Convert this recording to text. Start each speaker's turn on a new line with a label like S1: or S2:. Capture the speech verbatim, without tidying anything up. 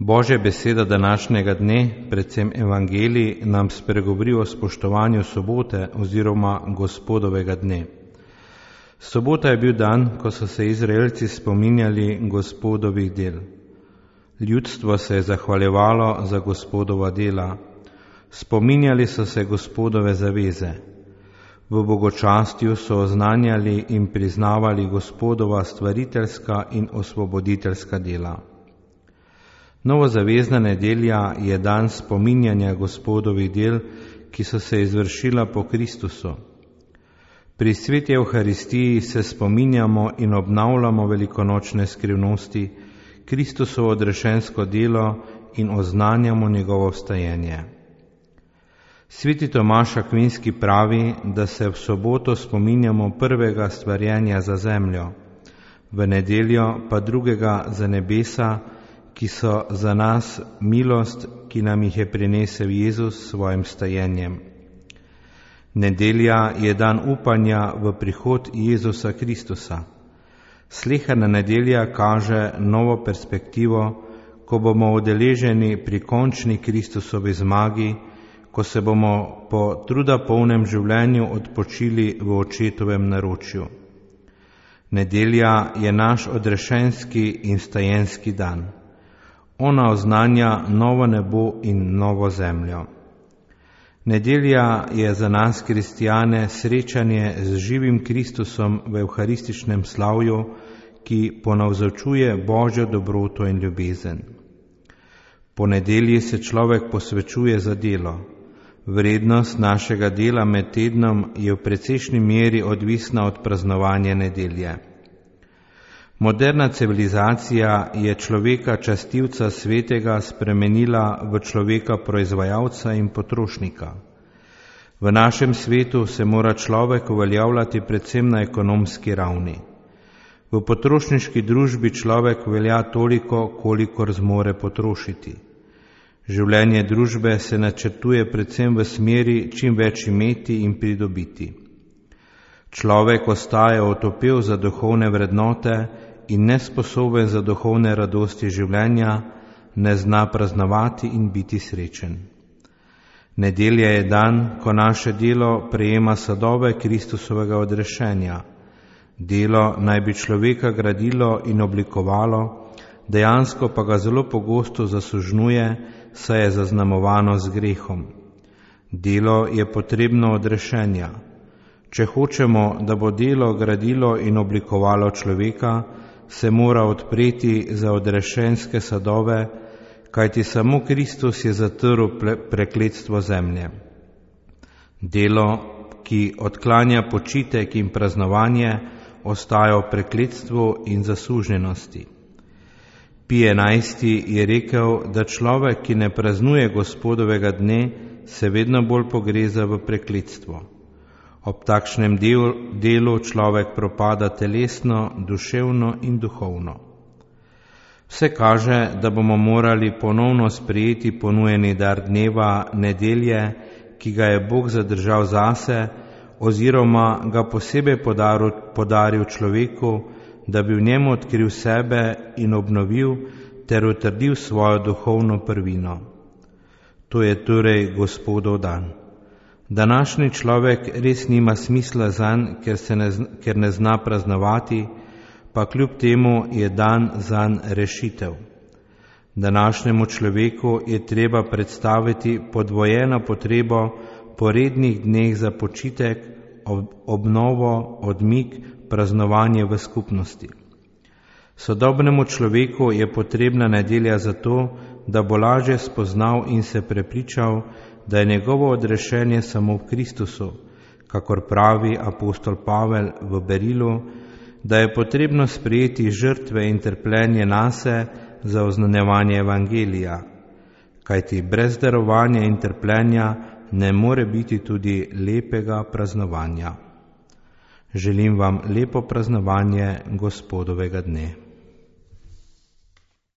S1: Božja beseda današnjega dne, predvsem evangelij, nam spregovori o spoštovanju sobote oziroma Gospodovega dne. Sobota je bil dan, ko so se Izraelci spominjali Gospodovih del. Ljudstvo se je zahvaljevalo za Gospodova dela. Spominjali so se Gospodove zaveze. V bogočastju so oznanjali in priznavali Gospodova stvariteljska in osvoboditeljska dela. Novozavezna nedelja je dan spominjanja Gospodovih del, ki so se izvršila po Kristusu. Pri sveti Evharistiji se spominjamo in obnavljamo velikonočne skrivnosti, Kristusovo odrešensko delo in oznanjamo njegovo vstajenje. Sveti Tomaž Akvinski pravi, da se v soboto spominjamo prvega stvarjenja za zemljo, v nedeljo pa drugega za nebesa, ki so za nas milost, ki nam jih je prinesel Jezus s svojim stajenjem. Nedelja je dan upanja v prihod Jezusa Kristusa. Sleherna nedelja kaže novo perspektivo, ko bomo udeleženi pri končni Kristusovi zmagi, ko se bomo po truda polnem življenju odpočili v očetovem naročju. Nedelja je naš odrešenski in stajenski dan. Ona oznanja novo nebo in novo zemljo. Nedelja je za nas kristjane srečanje z živim Kristusom v evharističnem slavju, ki ponavzočuje Božjo dobroto in ljubezen. Po nedelji se človek posvečuje za delo. Vrednost našega dela med tednom je v precejšnji meri odvisna od praznovanja nedelje. Moderna civilizacija je človeka častilca svetega spremenila v človeka proizvajalca in potrošnika. V našem svetu se mora človek uveljavljati predvsem na ekonomski ravni. V potrošniški družbi človek velja toliko, kolikor zmore potrošiti. Življenje družbe se načrtuje predvsem v smeri čim več imeti in pridobiti. Človek ostaja otopel za duhovne vrednote in nesposoben za duhovne radosti življenja, ne zna praznovati in biti srečen. Nedelja je dan, ko naše delo prejema sadove Kristusovega odrešenja. Delo naj bi človeka gradilo in oblikovalo, dejansko pa ga zelo pogosto zasužnjuje, saj je zaznamovano z grehom. Delo je potrebno odrešenja. Če hočemo, da bo delo gradilo in oblikovalo človeka, se mora odpreti za odrešenske sadove, kajti samo Kristus je zatrl prekletstvo zemlje. Delo, ki odklanja počitek in praznovanje, ostaja v prekletstvu in zasužnjenosti. Pij enajsti je rekel, da človek, ki ne praznuje Gospodovega dne, se vedno bolj pogreza v prekletstvo. Ob takšnem delu, delu človek propada telesno, duševno in duhovno. Vse kaže, da bomo morali ponovno sprejeti ponujeni dar dneva nedelje, ki ga je Bog zadržal zase, oziroma ga posebej podaril, podaril človeku, da bi v njem odkril sebe in obnovil ter utrdil svojo duhovno prvino. To je torej Gospodov dan. Današnji človek res nima smisla zanj, ker, se ne, ker ne zna praznovati, pa kljub temu je dan zanj rešitev. Današnjemu človeku je treba predstaviti podvojeno potrebo po rednih dneh za počitek, obnovo, odmik, praznovanje v skupnosti. Sodobnemu človeku je potrebna nedelja zato, da bo lažje spoznal in se prepričal, da je njegovo odrešenje samo v Kristusu, kakor pravi apostol Pavel v Berilu, da je potrebno sprejeti žrtve in trpljenje nase za oznanjevanje evangelija, kajti brez darovanja in trpljenja ne more biti tudi lepega praznovanja. Želim vam lepo praznovanje Gospodovega dne.